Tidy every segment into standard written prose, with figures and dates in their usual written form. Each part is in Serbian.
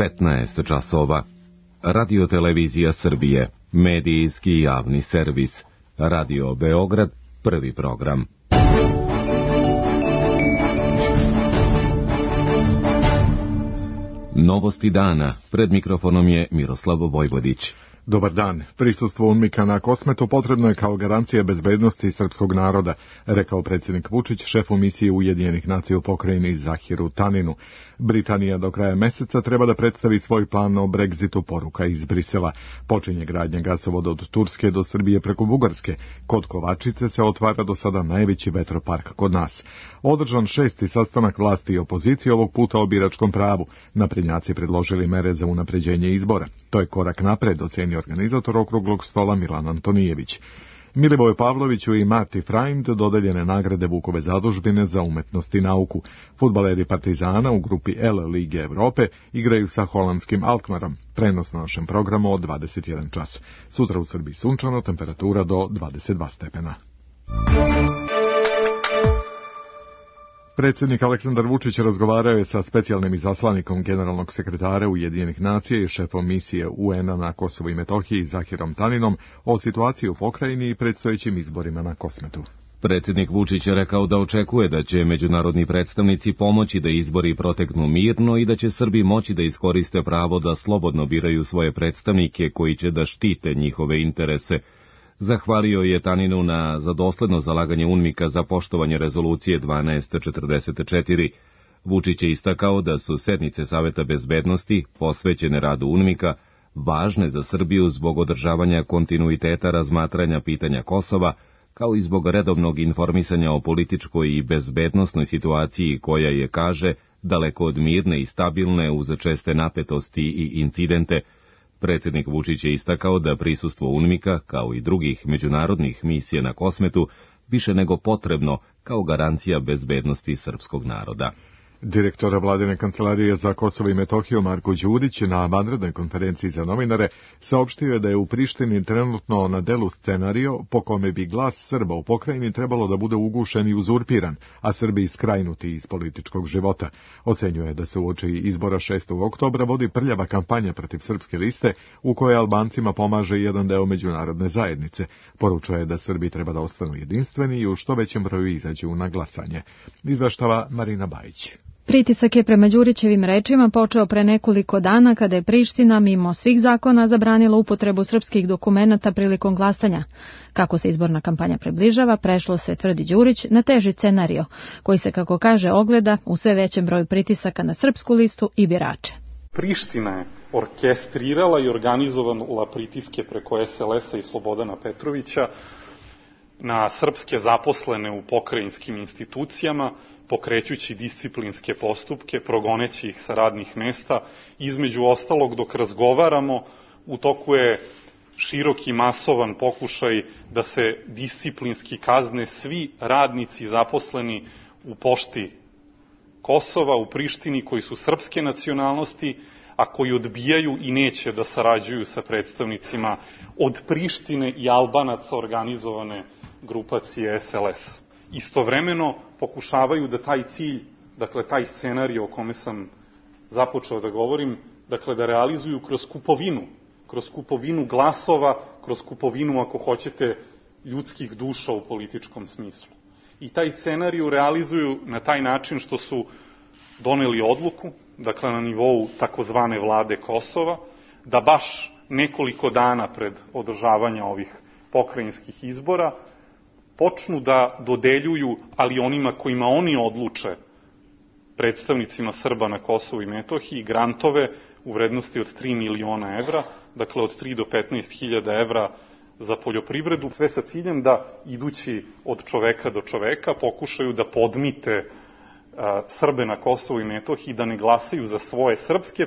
15 časova. Radio-televizija Srbije, medijski javni servis. Radio Beograd, prvi program. Novosti dana. Pred mikrofonom je Miroslav Vojvodić. Dobar dan. Prisustvo UNMIK-a na Kosmetu potrebno je kao garancija bezbednosti srpskog naroda, rekao predsjednik Vučić šefu misije Ujedinjenih nacija u pokrajini Zahiru Taninu. Britanija do kraja meseca treba da predstavi svoj plan o Brexitu, poruka iz Brisela. Počinje gradnja gasovoda od Turske do Srbije preko Bugarske. Kod Kovačice se otvara do sada najveći vetropark kod nas. Održan 6. sastanak vlasti i opozicije, ovog puta o biračkom pravu. Naprednjaci predložili mere za unapređenje izbora. To je korak napred, ocenio organizator okruglog stola Milan Antonijević. Milivoju Pavloviću i Marti Freund dodeljene nagrade Vukove zadužbine za umetnost i nauku. Fudbaleri Partizana u grupi L Lige Evrope igraju sa holandskim Alkmarom. Prenos na našem programu od 21 čas. Sutra u Srbiji sunčano, temperatura do 22 stepena. Predsjednik Aleksandar Vučić razgovarao je sa specijalnim izaslanikom generalnog sekretara Ujedinjenih nacija i šefom misije UN-a na Kosovu i Metohiji Zahirom Taninom o situaciji u pokrajini i predstojećim izborima na Kosmetu. Predsjednik Vučić je rekao da očekuje da će međunarodni predstavnici pomoći da izbori proteknu mirno i da će Srbi moći da iskoriste pravo da slobodno biraju svoje predstavnike koji će da štite njihove interese. Zahvalio je Taninu za dosledno zalaganje UNMIK-a za poštovanje rezolucije 1244. Vučić je istakao da su sednice Saveta bezbednosti, posvećene radu UNMIK-a, važne za Srbiju zbog održavanja kontinuiteta razmatranja pitanja Kosova, kao i zbog redovnog informisanja o političkoj i bezbednosnoj situaciji koja je, kaže, daleko od mirne i stabilne uz česte napetosti i incidente. Predsjednik Vučić je istakao da prisustvo UNMIK-a, kao i drugih međunarodnih misija na Kosmetu, više nego potrebno kao garancija bezbednosti srpskog naroda. Direktor vladine kancelarije za Kosovo i Metohiju Marko Đurić na vanrednoj konferenciji za novinare saopštio je da je u Prištini trenutno na delu scenario po kome bi glas Srba u pokrajini trebalo da bude ugušen i uzurpiran, a Srbi skrajnuti iz političkog života. Ocenjuje da se uoči izbora 6. oktobra vodi prljava kampanja protiv srpske liste u kojoj Albancima pomaže jedan deo međunarodne zajednice. Poručuje da Srbi treba da ostanu jedinstveni i u što većem broju izađu na glasanje. Izveštava Marina Bajić. Pritisak je prema Đurićevim rečima počeo pre nekoliko dana kada je Priština mimo svih zakona zabranila upotrebu srpskih dokumenata prilikom glasanja. Kako se izborna kampanja približava, prešlo se, tvrdi Đurić, na teži scenario, koji se, kako kaže, ogleda u sve većem broju pritisaka na srpsku listu i birače. Priština je orkestrirala i organizovala pritiske preko SLS-a i Slobodana Petrovića na srpske zaposlene u pokrajinskim institucijama, pokrećući disciplinske postupke, progoneći ih sa radnih mesta. Između ostalog, dok razgovaramo, u toku je širok i masovan pokušaj da se disciplinski kazne svi radnici zaposleni u pošti Kosova, u Prištini, koji su srpske nacionalnosti, a koji odbijaju i neće da sarađuju sa predstavnicima od Prištine i Albanaca organizovane grupacije SLS. Istovremeno pokušavaju da taj cilj, dakle taj scenarij o kome sam započeo da govorim, dakle da realizuju kroz kupovinu glasova, kroz kupovinu, ako hoćete, ljudskih duša u političkom smislu. I taj scenarij realizuju na taj način što su doneli odluku, dakle na nivou takozvane vlade Kosova, da baš nekoliko dana pred održavanja ovih pokrajinskih izbora počnu da dodeljuju, ali onima kojima oni odluče, predstavnicima Srba na Kosovu i Metohiji, grantove u vrednosti od 3 miliona evra, dakle od 3 do 15.000 evra za poljoprivredu, sve sa ciljem da, idući od čoveka do čoveka, pokušaju da podmite Srbe na Kosovu i Metohiji da ne glasaju za svoje srpske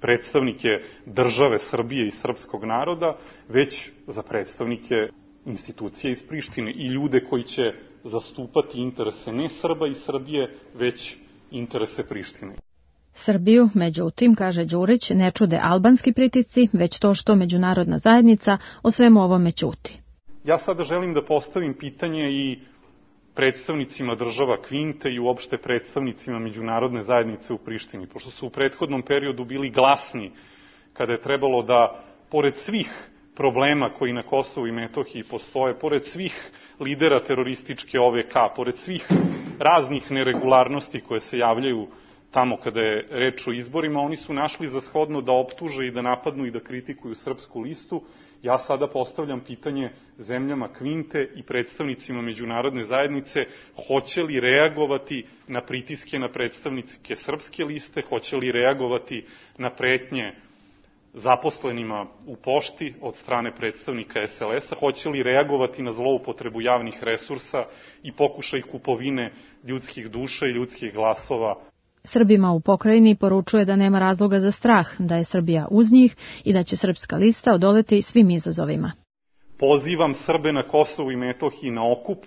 predstavnike države Srbije i srpskog naroda, već za predstavnike institucije iz Prištine i ljude koji će zastupati interese ne Srba i Srbije, već interese Prištine. Srbiju, međutim, kaže Đurić, ne čude albanski pritisci, već to što međunarodna zajednica o svemu ovome ćuti. Ja sada želim da postavim pitanje i predstavnicima država Kvinte i uopšte predstavnicima međunarodne zajednice u Prištini, pošto su u prethodnom periodu bili glasni kada je trebalo da, pored svih problema koji na Kosovu i Metohiji postoje, pored svih lidera terorističke OVK, pored svih raznih neregularnosti koje se javljaju tamo kada je reč o izborima, oni su našli za shodno da optuže i da napadnu i da kritikuju Srpsku listu. Ja sada postavljam pitanje zemljama Kvinte i predstavnicima međunarodne zajednice, hoće li reagovati na pritiske na predstavnike Srpske liste, hoće li reagovati na pretnje zaposlenima u pošti od strane predstavnika SLS-a, hoće li reagovati na zloupotrebu javnih resursa i pokušaj kupovine ljudskih duša i ljudskih glasova. Srbima u pokrajini poručuje da nema razloga za strah, da je Srbija uz njih i da će Srpska lista odoleti svim izazovima. Pozivam Srbe na Kosovu i Metohiji na okup,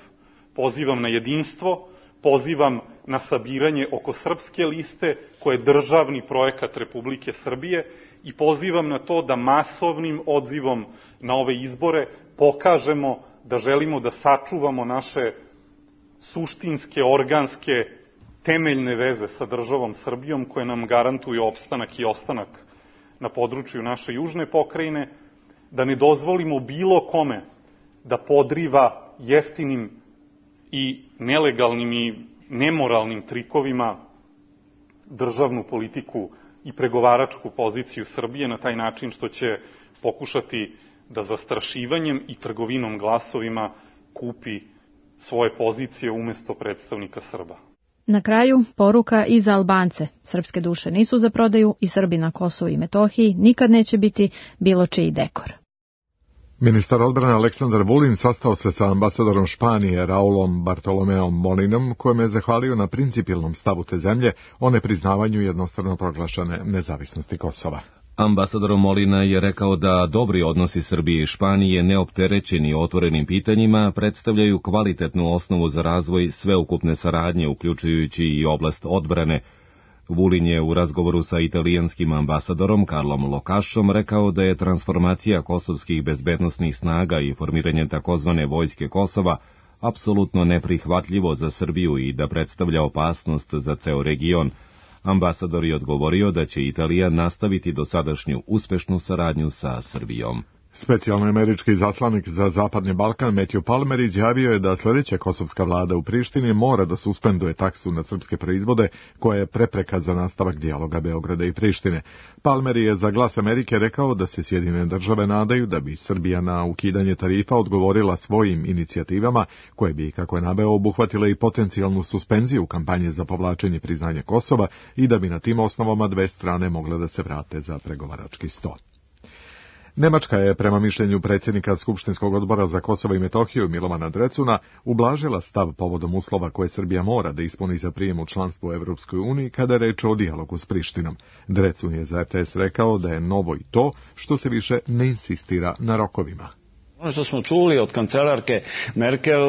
pozivam na jedinstvo, pozivam na sabiranje oko Srpske liste, koje je državni projekat Republike Srbije, i pozivam na to da masovnim odzivom na ove izbore pokažemo da želimo da sačuvamo naše suštinske, organske, temeljne veze sa državom Srbijom, koje nam garantuju opstanak i ostanak na području naše južne pokrajine, da ne dozvolimo bilo kome da podriva jeftinim i nelegalnim i nemoralnim trikovima državnu politiku i pregovaračku poziciju Srbije na taj način što će pokušati da zastrašivanjem i trgovinom glasovima kupi svoje pozicije umesto predstavnika Srba. Na kraju, poruka i za Albance. Srpske duše nisu za prodaju i Srbi na Kosovu i Metohiji nikad neće biti bilo čiji dekor. Ministar odbrane Aleksandar Vulin sastao se sa ambasadorom Španije Raulom Bartolomeom Molinom, kojem je zahvalio na principijelnom stavu te zemlje o nepriznavanju jednostrano proglašene nezavisnosti Kosova. Ambasador Molina je rekao da dobri odnosi Srbije i Španije, neopterećeni otvorenim pitanjima, predstavljaju kvalitetnu osnovu za razvoj sveukupne saradnje, uključujući i oblast odbrane. Vulin je u razgovoru sa italijanskim ambasadorom Karlom Lokašom rekao da je transformacija kosovskih bezbednosnih snaga i formiranje takozvane vojske Kosova apsolutno neprihvatljivo za Srbiju i da predstavlja opasnost za ceo region. Ambasador je odgovorio da će Italija nastaviti dosadašnju uspešnu saradnju sa Srbijom. Specijalni američki zaslanik za Zapadni Balkan Matthew Palmer izjavio je da sljedeća kosovska vlada u Prištini mora da suspenduje taksu na srpske proizvode, koja je prepreka za nastavak dijaloga Beograda i Prištine. Palmer je za Glas Amerike rekao da se Sjedinjene države nadaju da bi Srbija na ukidanje tarifa odgovorila svojim inicijativama, koje bi, kako je naveo, obuhvatile i potencijalnu suspenziju kampanje za povlačenje priznanja Kosova i da bi na tim osnovama dve strane mogle da se vrate za pregovarački sto. Nemačka je, prema mišljenju predsjednika Skupštinskog odbora za Kosovo i Metohiju Milovana Drecuna, ublažila stav povodom uslova koje Srbija mora da ispuni za prijem u članstvo u Evropskoj uniji kada je reč o dijalogu s Prištinom. Drecun je za RTS rekao da je novo i to što se više ne insistira na rokovima. Ono što smo čuli od kancelarke Merkel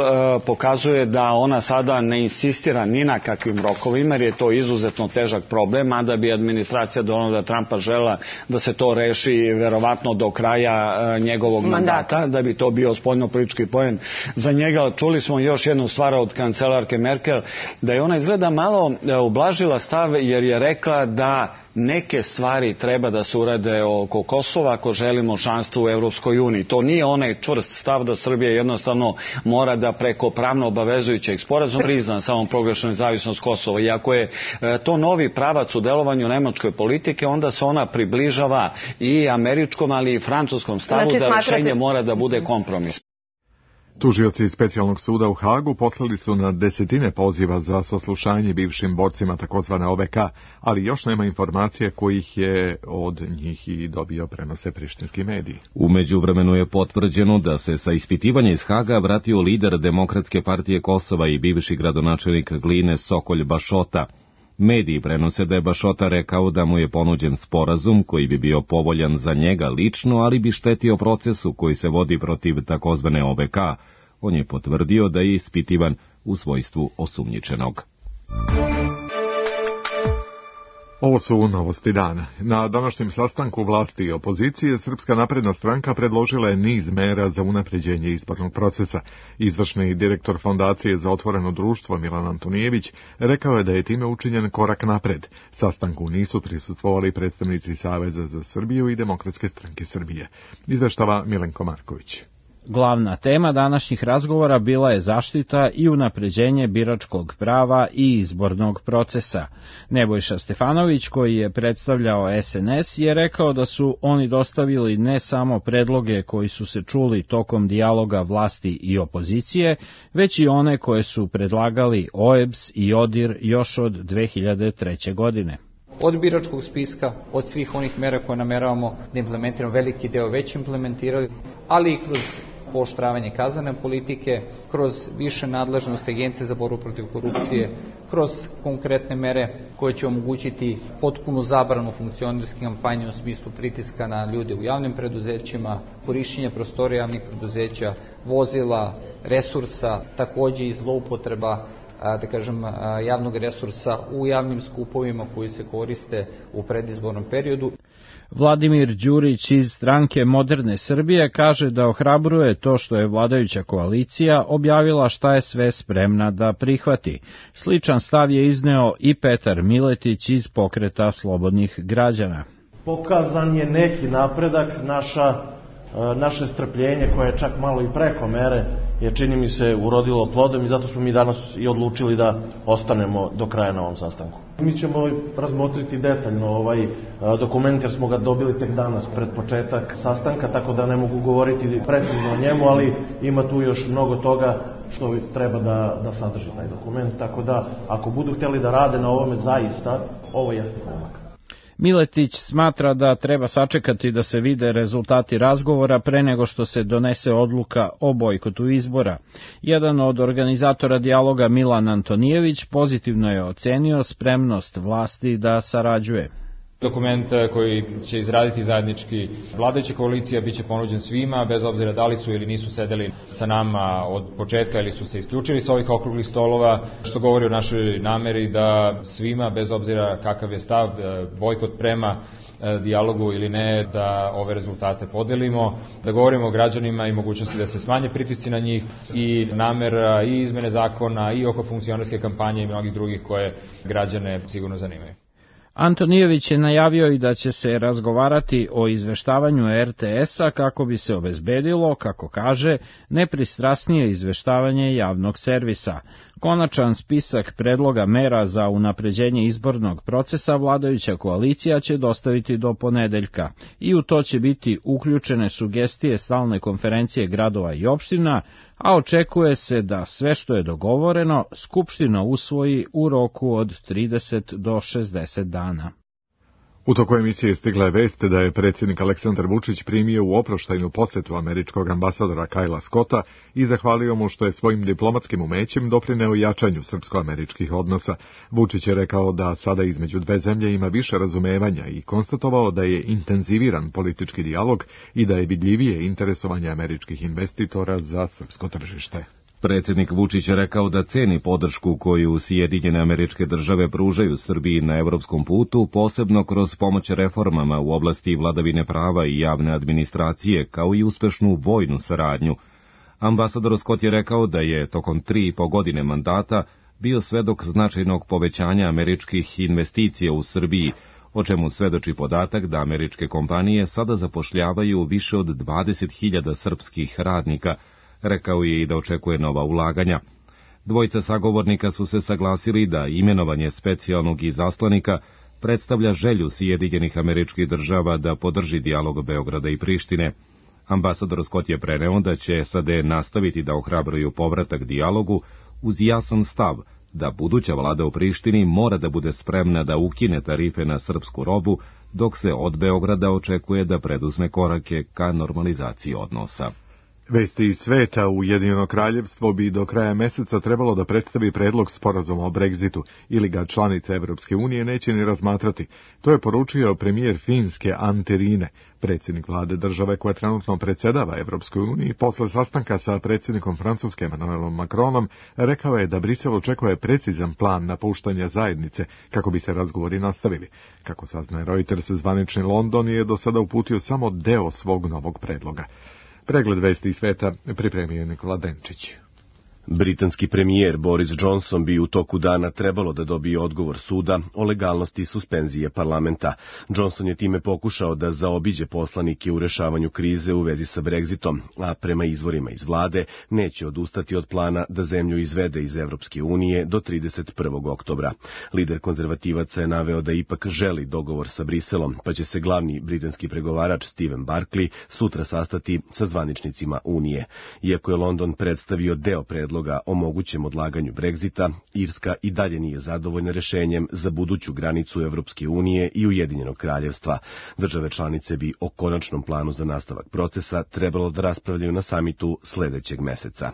pokazuje da ona sada ne insistira ni na kakvim rokovima, jer je to izuzetno težak problem, mada bi administracija Donalda Trumpa žela da se to reši verovatno do kraja njegovog mandata, da bi to bio spoljnopolitički poen za njega. Čuli smo još jednu stvar od kancelarke Merkel, da je ona izgleda malo ublažila stav, jer je rekla da neke stvari treba da se urade oko Kosova ako želimo članstvo u Evropskoj uniji. To nije onaj čvrst stav da Srbija jednostavno mora da preko pravno obavezujućeg sporazuma prizna samom proglašenu nezavisnost Kosova. I ako je to novi pravac u delovanju nemačke politike, onda se ona približava i američkom, ali i francuskom stavu, znači, da rešenje mora da bude kompromis. Tužioci specijalnog suda u Hagu poslali su na desetine poziva za saslušanje bivšim borcima takozvane OVK, ali još nema informacije kojih je od njih i dobio, prenose prištinski mediji. U međuvremenu je potvrđeno da se sa ispitivanja iz Haga vratio lider Demokratske partije Kosova i bivši gradonačelnik Gline Sokolj Bašota. Mediji prenose da je Bašota rekao da mu je ponuđen sporazum koji bi bio povoljan za njega lično, ali bi štetio procesu koji se vodi protiv takozvane OVK. On je potvrdio da je ispitivan u svojstvu osumnjičenog. Ovo su novosti dana. Na današnjem sastanku vlasti i opozicije Srpska napredna stranka predložila je niz mera za unapređenje izbornog procesa. Izvršni direktor Fondacije za otvoreno društvo Milan Antonijević rekao je da je time učinjen korak napred. Sastanku nisu prisustvovali predstavnici Saveza za Srbiju i Demokratske stranke Srbije. Izveštava Milenko Marković. Glavna tema današnjih razgovora bila je zaštita i unapređenje biračkog prava i izbornog procesa. Nebojša Stefanović, koji je predstavljao SNS, je rekao da su oni dostavili ne samo predloge koji su se čuli tokom dijaloga vlasti i opozicije, već i one koje su predlagali OEBS i ODIR još od 2003. godine. Od biračkog spiska, od svih onih mera koje nameravamo da implementiramo, veliki deo već implementirali, ali i kroz pooštravanje kaznene politike, kroz više nadležnosti Agencije za borbu protiv korupcije, kroz konkretne mere koje će omogućiti potpunu zabranu funkcionerske kampanje u smislu pritiska na ljude u javnim preduzećima, korišćenje prostorija javnih preduzeća, vozila, resursa, takođe i zloupotreba javnog resursa u javnim skupovima koji se koriste u predizbornom periodu. Vladimir Đurić iz stranke Moderne Srbije kaže da ohrabruje to što je vladajuća koalicija objavila šta je sve spremna da prihvati. Sličan stav je izneo i Petar Miletić iz Pokreta slobodnih građana. Pokazan je neki napredak, naše strpljenje koje je čak malo i preko mere je, čini mi se, urodilo plodom i zato smo mi danas i odlučili da ostanemo do kraja na ovom sastanku. Mi ćemo razmotriti detaljno ovaj dokument jer smo ga dobili tek danas pred početak sastanka, tako da ne mogu govoriti precizno o njemu, ali ima tu još mnogo toga što treba da sadrži taj dokument, tako da ako budu htjeli da rade na ovome zaista, ovo jeste pomak. Miletić smatra da treba sačekati da se vide rezultati razgovora pre nego što se donese odluka o bojkotu izbora. Jedan od organizatora dijaloga, Milan Antonijević, pozitivno je ocenio spremnost vlasti da sarađuje. Dokument koji će izraditi zajednički vladajuća koalicija biće ponuđen svima, bez obzira da li su ili nisu sedeli sa nama od početka ili su se isključili sa ovih okruglih stolova, što govori o našoj nameri da svima, bez obzira kakav je stav, bojkot prema dijalogu ili ne, da ove rezultate podelimo, da govorimo o građanima i mogućnosti da se smanje pritisci na njih i namera i izmene zakona i oko funkcionerske kampanje i mnogih drugih koje građane sigurno zanimaju. Antonijević je najavio i da će se razgovarati o izveštavanju RTS-a kako bi se obezbedilo, kako kaže, nepristrasnije izveštavanje javnog servisa. Konačan spisak predloga mera za unapređenje izbornog procesa vladajuća koalicija će dostaviti do ponedeljka i u to će biti uključene sugestije stalne konferencije gradova i opština, a očekuje se da sve što je dogovoreno Skupština usvoji u roku od 30 do 60 dana. U toku emisije stigla je vest da je predsjednik Aleksandar Vučić primio u oproštajnu posetu američkog ambasadora Kajla Scotta i zahvalio mu što je svojim diplomatskim umećem doprineo jačanju srpsko-američkih odnosa. Vučić je rekao da sada između dve zemlje ima više razumevanja i konstatovao da je intenziviran politički dijalog i da je vidljivije interesovanje američkih investitora za srpsko tržište. Predsjednik Vučić je rekao da ceni podršku koju Sjedinjene Američke Države pružaju Srbiji na evropskom putu, posebno kroz pomoć reformama u oblasti vladavine prava i javne administracije, kao i uspešnu vojnu saradnju. Ambasador Scott je rekao da je tokom 3,5 godine mandata bio svedok značajnog povećanja američkih investicija u Srbiji, o čemu svedoči podatak da američke kompanije sada zapošljavaju više od 20.000 srpskih radnika. Rekao je i da očekuje nova ulaganja. Dvojica sagovornika su se saglasili da imenovanje specijalnog izaslanika predstavlja želju Sjedinjenih Američkih Država da podrži dijalog Beograda i Prištine. Ambasador Scott je preneo da će SAD nastaviti da ohrabruju povratak dijalogu uz jasan stav da buduća vlada u Prištini mora da bude spremna da ukine tarife na srpsku robu, dok se od Beograda očekuje da preduzme korake ka normalizaciji odnosa. Vesti iz sveta: Ujedinjeno kraljevstvo bi do kraja meseca trebalo da predstavi predlog sporazuma o Brexitu, ili ga članice Evropske unije neće ni razmatrati. To je poručio premijer Finske Antti Rinne, predsjednik vlade države koja trenutno predsjedava Evropskoj uniji. Posle sastanka sa predsjednikom Francuske Emmanuelom Macronom rekao je da Brisel očekuje precizan plan napuštanja zajednice kako bi se razgovori nastavili. Kako saznaje Reuters, zvanični London je do sada uputio samo deo svog novog predloga. Pregled vesti iz sveta pripremio Nikola Denčić. Britanski premijer Boris Johnson bi u toku dana trebalo da dobije odgovor suda o legalnosti suspenzije parlamenta. Johnson je time pokušao da zaobiđe poslanike u rešavanju krize u vezi sa Brexitom, a prema izvorima iz vlade neće odustati od plana da zemlju izvede iz Evropske unije do 31. oktobra. Lider konzervativaca je naveo da ipak želi dogovor sa Briselom, pa će se glavni britanski pregovarač Stephen Barclay sutra sastati sa zvaničnicima Unije. Iako je London predstavio deo predloga o mogućem odlaganju Brexita, Irska i dalje nije zadovoljna rešenjem za buduću granicu Evropske unije i Ujedinjenog kraljevstva. Države članice bi o konačnom planu za nastavak procesa trebalo da raspravljaju na samitu sledećeg meseca.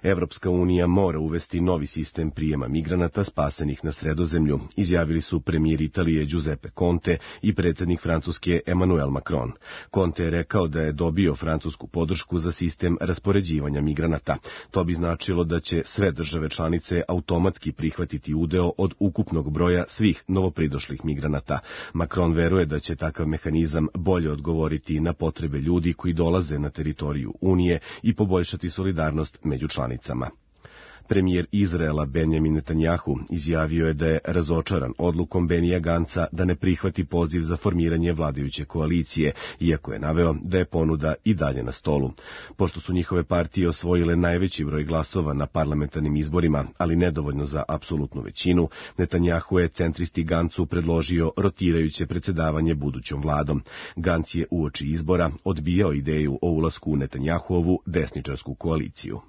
Evropska unija mora uvesti novi sistem prijema migranata spasenih na Sredozemlju, izjavili su premijer Italije Giuseppe Conte i predsjednik Francuske Emmanuel Macron. Conte je rekao da je dobio francusku podršku za sistem raspoređivanja migranata. To bi značilo da će sve države članice automatski prihvatiti udeo od ukupnog broja svih novopridošlih migranata. Macron veruje da će takav mehanizam bolje odgovoriti na potrebe ljudi koji dolaze na teritoriju Unije i poboljšati solidarnost među članicama. Premijer Izraela Benjamin Netanjahu izjavio je da je razočaran odlukom Benija Ganca da ne prihvati poziv za formiranje vladajuće koalicije, iako je naveo da je ponuda i dalje na stolu. Pošto su njihove partije osvojile najveći broj glasova na parlamentarnim izborima, ali nedovoljno za apsolutnu većinu, Netanjahu je centristi Gancu predložio rotirajuće predsjedavanje budućom vladom. Ganc je uoči izbora odbijao ideju o ulasku u Netanjahuovu desničarsku koaliciju.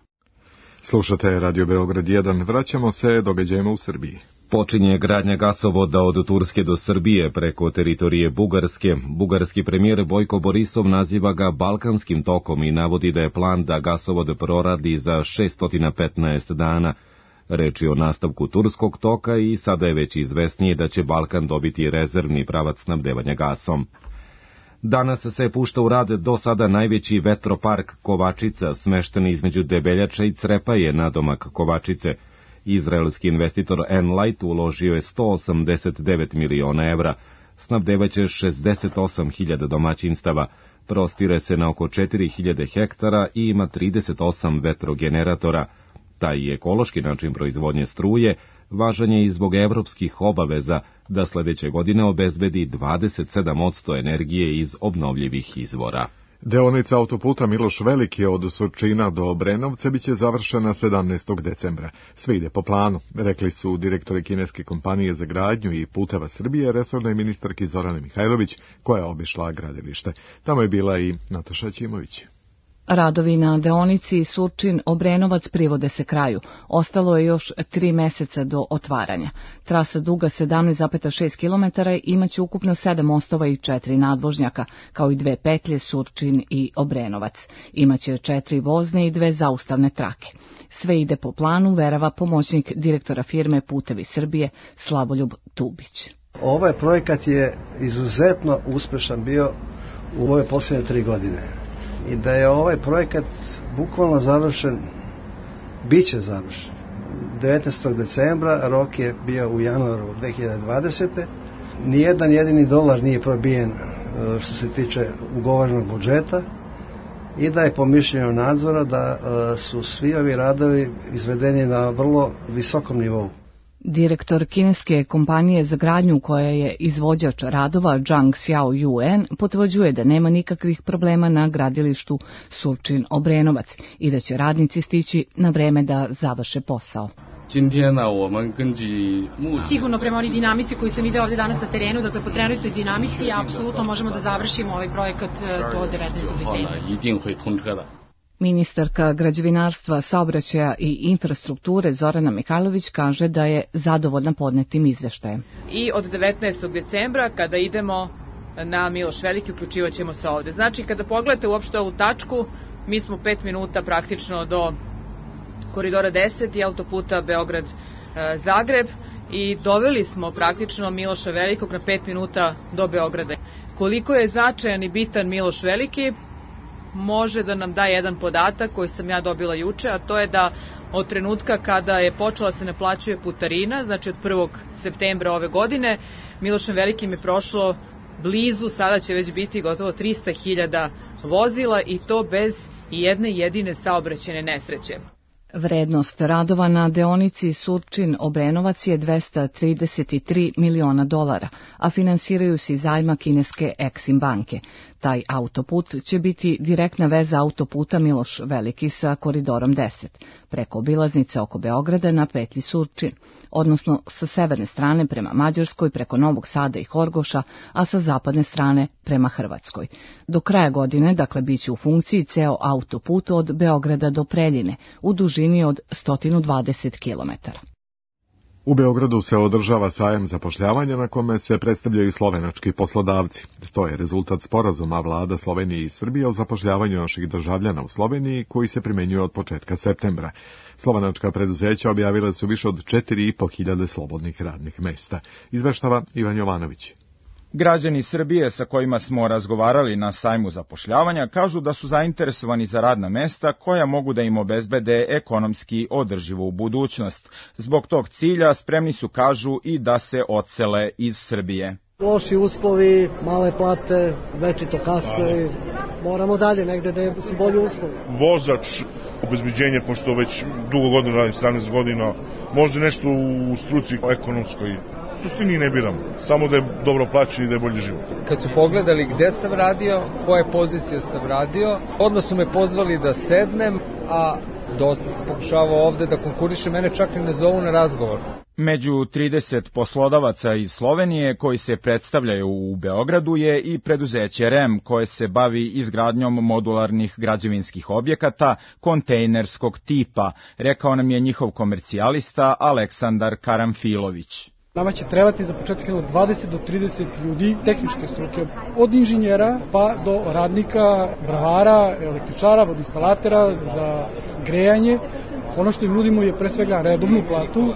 Slušate Radio Beograd 1, vraćamo se događajima u Srbiji. Počinje gradnja gasovoda od Turske do Srbije preko teritorije Bugarske. Bugarski premijer Bojko Borisov naziva ga Balkanskim tokom i navodi da je plan da gasovod proradi za 615 dana. Reč je o nastavku turskog toka i sada je već izvesnije da će Balkan dobiti rezervni pravac snabdevanja gasom. Danas se pušta u rad do sada najveći vetropark Kovačica, smešten između Debeljača i Crepaje, nadomak Kovačice. Izraelski investitor Enlight uložio je 189 miliona evra, snabdevaće 68.000 domaćinstava, prostire se na oko 4.000 hektara i ima 38 vetrogeneratora. Taj ekološki način proizvodnje struje važan je i zbog evropskih obaveza da sledeće godine obezbedi 27% energije iz obnovljivih izvora. Deonica autoputa Miloš Veliki od Surčina do Obrenovca biće završena 17. decembra. Sve ide po planu, rekli su direktori kineske kompanije za gradnju i puteva Srbije, resornoj ministarki Zorane Mihajlović, koja je obišla gradilište. Tamo je bila i Nataša Ćimović. Radovi na deonici Surčin-Obrenovac privode se kraju. Ostalo je još 3 meseca do otvaranja. Trasa duga 17,6 km imaće ukupno 7 mostova i 4 nadvožnjaka, kao i 2 petlje Surčin i Obrenovac. Imaće 4 vozne i 2 zaustavne trake. Sve ide po planu, verava pomoćnik direktora firme Putevi Srbije Slavoljub Tubić. Ovaj projekat je izuzetno uspešan bio u ove posljednje 3 godine. I da je ovaj projekat bukvalno završen, bit će završen. 19. decembra, rok je bio u januaru 2020. Nijedan jedini dolar nije probijen što se tiče ugovorenog budžeta i da je po mišljenju nadzora da su svi ovi radovi izvedeni na vrlo visokom nivou. Direktor kineske kompanije za gradnju koja je izvođač radova Zhang Xiaoyuan potvrđuje da nema nikakvih problema na gradilištu Surčin-Obrenovac i da će radnici stići na vreme da završe posao. Sigurno prema onoj dinamici koju sam video ovdje danas na terenu, dakle po trenutnoj dinamici, apsolutno možemo da završimo ovaj projekat do 19. decembra. Ministarka građevinarstva, saobraćaja i infrastrukture Zorana Mihajlović kaže da je zadovoljna podnetim izveštajem. I od 19. decembra kada idemo na Miloš Veliki uključivat ćemo se ovde. Znači kada pogledate uopšte ovu tačku, Mi smo 5 minuta praktično do koridora 10 i autoputa Beograd-Zagreb i doveli smo praktično Miloša Velikog na 5 minuta do Beograda. Koliko je značajan i bitan Miloš Veliki, može da nam da jedan podatak koji sam ja dobila juče, a to je da od trenutka kada je počela se naplaćuje putarina, znači od 1. septembra ove godine, Milošem Velikim je prošlo blizu, sada će već biti gotovo 300.000 vozila i to bez jedne jedine saobraćajne nesreće. Vrednost radova na deonici Surčin-Obrenovac je $233 miliona, a finansiraju se iz zajma kineske Exim banke. Taj autoput će biti direktna veza autoputa Miloš Veliki sa koridorom 10, preko obilaznice oko Beograda na petlji Surčin, odnosno sa severne strane prema Mađarskoj, preko Novog Sada i Horgoša, a sa zapadne strane prema Hrvatskoj. Do kraja godine, dakle, bit će u funkciji ceo autoput od Beograda do Preljine, u dužini od 120 km. U Beogradu se održava sajam zapošljavanja na kome se predstavljaju slovenački poslodavci. To je rezultat sporazuma vlada Slovenije i Srbije o zapošljavanju naših državljana u Sloveniji koji se primenjuje od početka septembra. Slovenačka preduzeća objavile su više od 4.500 slobodnih radnih mesta. Izveštava Ivan Jovanović. Građani Srbije sa kojima smo razgovarali na sajmu zapošljavanja kažu da su zainteresovani za radna mesta koja mogu da im obezbede ekonomski održivu budućnost. Zbog tog cilja spremni su, kažu, i da se odsele iz Srbije. Loši uslovi, male plate, večito kasne, moramo dalje negde da su bolji uslovi. Vozač, obezbeđenje, pošto već dugo godina radim, 17 godina, može nešto u struci ekonomskoj. U suštini ne biram, samo da je dobro plaćen i da je bolji život. Kad su pogledali gde sam radio, koje pozicije sam radio, odmah su me pozvali da sednem, a dosta sam pokušavao ovde da konkurišem, mene čak i ne zovu na razgovor. Među 30 poslodavaca iz Slovenije koji se predstavljaju u Beogradu je i preduzeće REM koje se bavi izgradnjom modularnih građevinskih objekata kontejnerskog tipa, rekao nam je njihov komercijalista Aleksandar Karamfilović. Nama će trebati za početak 20 do 30 ljudi tehničke struke, od inženjera pa do radnika, bravara, električara, vodoinstalatera za grejanje. Ono što im nudimo je pre svega redovnu platu,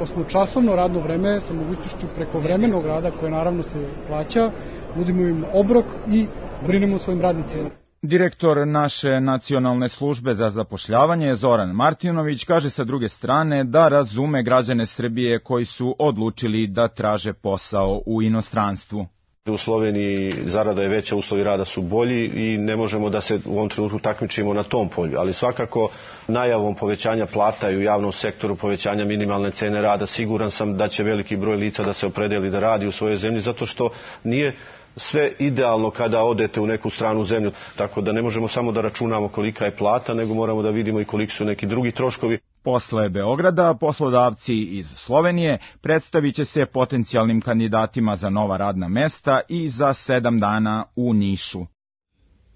osmočasovno radno vreme sa mogućnošću prekovremenog rada koje naravno se plaća, nudimo im obrok i brinemo o svojim radnicima. Direktor naše nacionalne službe za zapošljavanje Zoran Martinović kaže sa druge strane da razume građane Srbije koji su odlučili da traže posao u inostranstvu. U Sloveniji zarada je veća, uslovi rada su bolji i ne možemo da se u ovom trenutku takmičimo na tom polju, ali svakako najavom povećanja plata i u javnom sektoru, povećanja minimalne cene rada, siguran sam da će veliki broj lica da se opredeli da radi u svojoj zemlji, zato što nije sve idealno kada odete u neku stranu zemlju, tako da ne možemo samo da računamo kolika je plata, nego moramo da vidimo i koliki su neki drugi troškovi. Posle Beograda, poslodavci iz Slovenije predstavit će se potencijalnim kandidatima za nova radna mesta i za 7 dana u Nišu.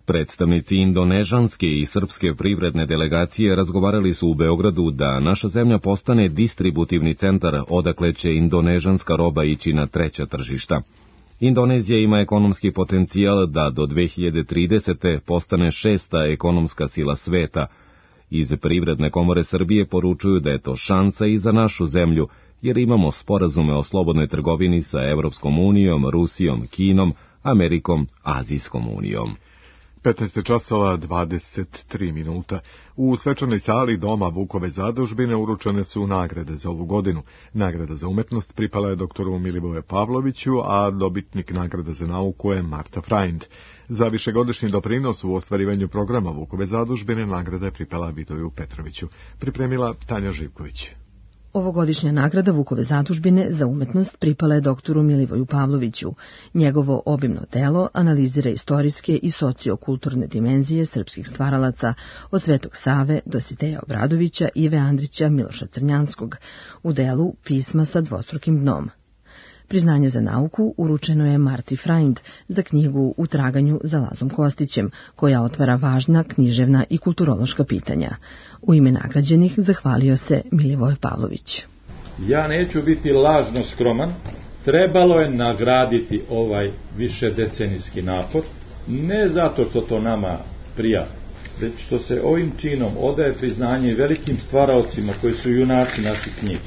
Predstavnici indonežanske i srpske privredne delegacije razgovarali su u Beogradu da naša zemlja postane distributivni centar odakle će indonežanska roba ići na treća tržišta. Indonezija ima ekonomski potencijal da do 2030. postane 6. ekonomska sila sveta. Iz Privredne komore Srbije poručuju da je to šansa i za našu zemlju, jer imamo sporazume o slobodnoj trgovini sa Evropskom unijom, Rusijom, Kinom, Amerikom, Azijskom unijom. 15:23. U svečanoj sali Doma Vukove zadužbine uručene su nagrade za ovu godinu. Nagrada za umetnost pripala je doktoru Milivoju Pavloviću, a dobitnik nagrada za nauku je Marta Frajnd. Za višegodišnji doprinos u ostvarivanju programa Vukove zadužbine nagrada je pripala Vidoju Petroviću. Pripremila Tanja Živković. Ovogodišnja nagrada Vukove zadužbine za umetnost pripala je doktoru Milivoju Pavloviću. Njegovo obimno delo analizira istorijske i sociokulturne dimenzije srpskih stvaralaca od Svetog Save, Dositeja Obradovića, Ive Andrića, Miloša Crnjanskog, u delu Pisma sa dvostrukim dnom. Priznanje za nauku uručeno je Marti Frajnd za knjigu U traganju za Lazom Kostićem, koja otvara važna književna i kulturološka pitanja. U ime nagrađenih zahvalio se Milivoj Pavlović. Ja neću biti lažno skroman, trebalo je nagraditi ovaj višedecenijski napor, ne zato što to nama prija, već što se ovim činom odaje priznanje velikim stvaraocima koji su junaci naših knjiga.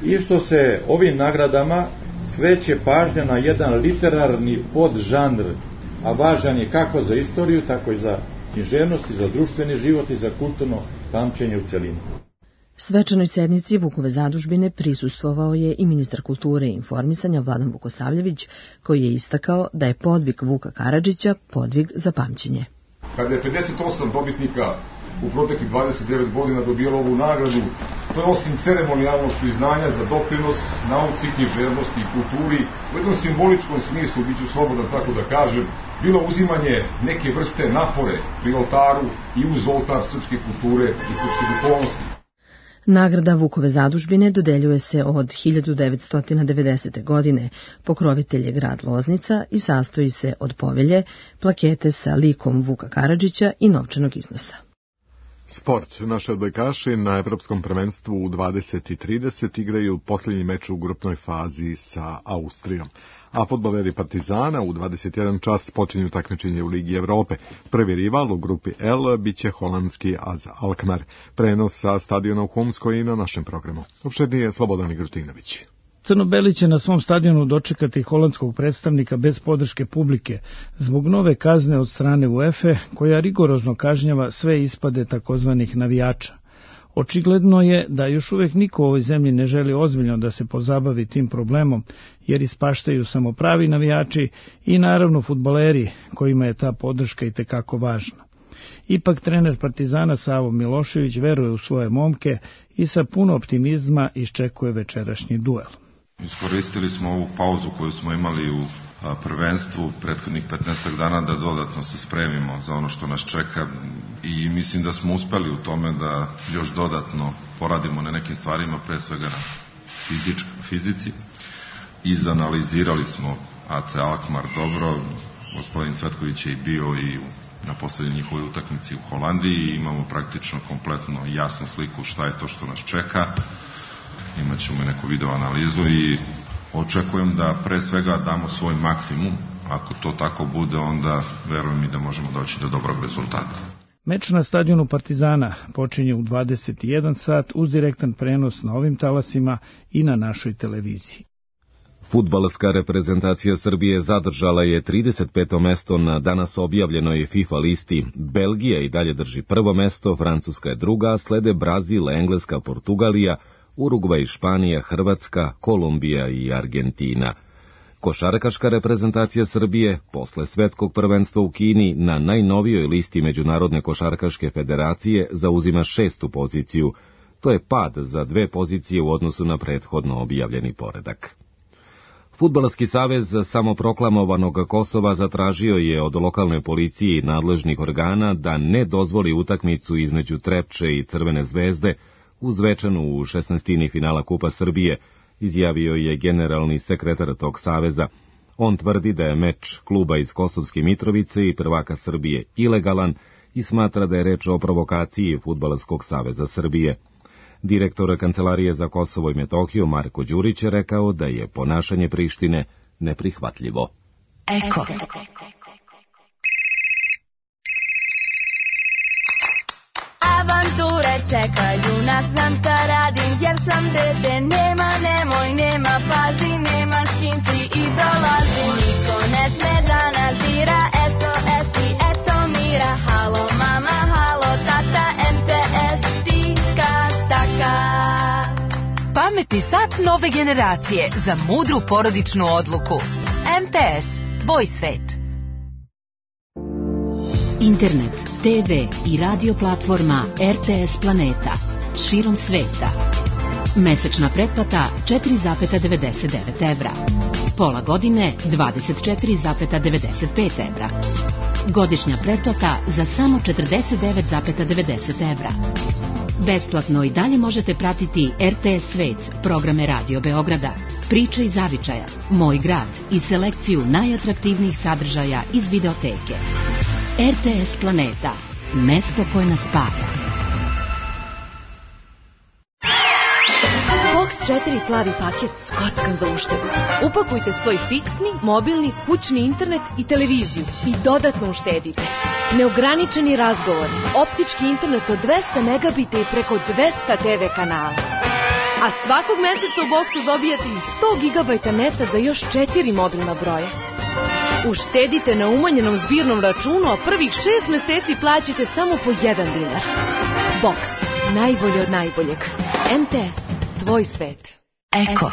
I što se ovim nagradama skreće pažnja na jedan literarni podžanr, a važan je kako za istoriju, tako i za književnost, i za društveni život i za kulturno pamćenje u celini. Svečanoj sednici Vukove zadužbine prisustvovao je i ministar kulture i informisanja Vladan Vukosavljević, koji je istakao da je podvig Vuka Karadžića podvig za pamćenje. Kada je 58 dobitnika u proteklih 29 godina dobijalo ovu nagradu, to je osim ceremonijalnog priznanja za doprinos nauci, književnosti i kulturi, u jednom simboličkom smislu, bit ću slobodan tako da kažem, bilo uzimanje neke vrste napore pri oltaru i uz oltar srpske kulture i srpske duhovnosti. Nagrada Vukove zadužbine dodeljuje se od 1990. godine, pokrovitelj je grad Loznica i sastoji se od povelje, plakete sa likom Vuka Karadžića i novčanog iznosa. Sport. Naši odbojkaši na Evropskom prvenstvu u 20:30 igraju posljednji meč u grupnoj fazi sa Austrijom. A fudbaleri Partizana u 21 čas počinju takmičenje u Ligi Evrope. Prvi rival u grupi L biće holandski AZ Alkmaar. Prenos sa stadiona u Humskoj i na našem programu. Opšednije Slobodan Igrutinović. Crnobeli će na svom stadionu dočekati holandskog predstavnika bez podrške publike zbog nove kazne od strane UEFA, koja rigorozno kažnjava sve ispade takozvanih navijača. Očigledno je da još uvek niko u ovoj zemlji ne želi ozbiljno da se pozabavi tim problemom, jer ispaštaju samo pravi navijači i naravno fudbaleri kojima je ta podrška itekako važna. Ipak trener Partizana Savo Milošević veruje u svoje momke i sa puno optimizma iščekuje večerašnji duel. Iskoristili smo ovu pauzu koju smo imali u prvenstvu prethodnih 15 dana da dodatno se spremimo za ono što nas čeka i mislim da smo uspeli u tome da još dodatno poradimo na nekim stvarima, pre svega na fizici. Izanalizirali smo AC Alkmaar dobro, gospodin Cvetković je i bio i na poslednjoj njihovoj utakmici u Holandiji i imamo praktično kompletno jasnu sliku šta je to što nas čeka. Imat ćemo i neku video analizu i očekujem da pre svega damo svoj maksimum. Ako to tako bude, onda verujem i da možemo doći do dobrog rezultata. Meč na stadionu Partizana počinje u 21 sat uz direktan prenos na ovim talasima i na našoj televiziji. Fudbalska reprezentacija Srbije zadržala je 35. mesto na danas objavljenoj FIFA listi. Belgija i dalje drži prvo mesto, Francuska je druga, slede Brazil, Engleska, Portugalija, Urugvaj, Španija, Hrvatska, Kolumbija i Argentina. Košarkaška reprezentacija Srbije, posle svetskog prvenstva u Kini, na najnovijoj listi Međunarodne košarkaške federacije zauzima 6. poziciju. To je pad za 2 pozicije u odnosu na prethodno objavljeni poredak. Fudbalski savez samoproklamovanog Kosova zatražio je od lokalne policije i nadležnih organa da ne dozvoli utakmicu između Trepče i Crvene zvezde uz Zvečanu u 16. finala Kupa Srbije, izjavio je generalni sekretar tog saveza. On tvrdi da je meč kluba iz Kosovske Mitrovice i prvaka Srbije ilegalan i smatra da je reč o provokaciji Fudbalskog saveza Srbije. Direktor Kancelarije za Kosovo i Metohiju Marko Đurić je rekao da je ponašanje Prištine neprihvatljivo. Eko. Avanture čekaju nas, znam šta radim, jer sam dete, nema, pazi, nema s kim si i dolazi. Niko ne sme da nazira, eto esi, eto mira, halo mama, halo tata, MTS, tika, taka. Pametni sat nove generacije za mudru porodičnu odluku. MTS, tvoj svet. Internet, TV i radio platforma RTS Planeta širom sveta. Mesečna pretplata 4,99 evra. Pola godine 24,95 evra. Godišnja pretplata za samo 49,90 evra. Besplatno i dalje možete pratiti RTS Svet, programe Radio Beograda, Priče iz zavičaja, Moj grad i selekciju najatraktivnijih sadržaja iz videoteke. RTS Planeta, mesto koje nas spaja. 4 plavi paket skockan za uštedu. Upakujte svoj fiksni, mobilni, kućni internet i televiziju i dodatno uštedite. Neograničeni razgovor, optički internet od 200 megabita i preko 200 TV kanala. A svakog meseca u boksu dobijate i 100 gigabajta neta za još 4 mobilna broja. Uštedite na umanjenom zbirnom računu, a prvih 6 meseci plaćate samo po 1 dinar. Boks, najbolje od najboljeg. MTS, tvoj svet. Eko.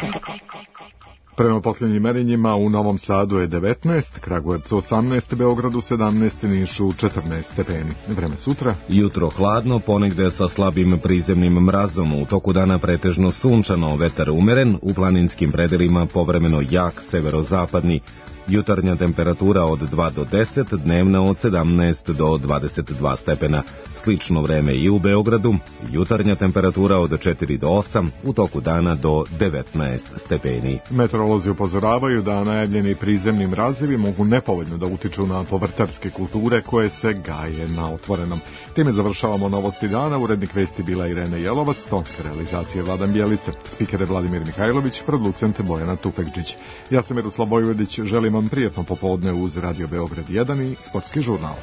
Prema posljednjim merenjima u Novom Sadu je 19, Kragujevcu 18, Beogradu 17, Nišu 14 stepeni. Vreme sutra. Jutro hladno, ponegde sa slabim prizemnim mrazom, u toku dana pretežno sunčano, vetar umeren, u planinskim predelima povremeno jak severozapadni. Jutarnja temperatura od 2 do 10, dnevna od 17 do 22 stepena. Slično vreme i u Beogradu, jutarnja temperatura od 4 do 8, u toku dana do 19 stepeni. Meteorolozi upozoravaju da najavljeni prizemni mrazevi mogu nepovoljno da utiču na povrtarske kulture koje se gaje na otvorenom. Time završavamo novosti dana. Urednik vesti bila Irena Jelovac, tonska realizacija Vladan Bjelice, spiker je Vladimir Mihajlović, producent Bojana Tufekđić. Ja sam Miroslav Bojvodić, želim vam prijetno popodne uz Radio Beograd 1 i Sportski žurnal.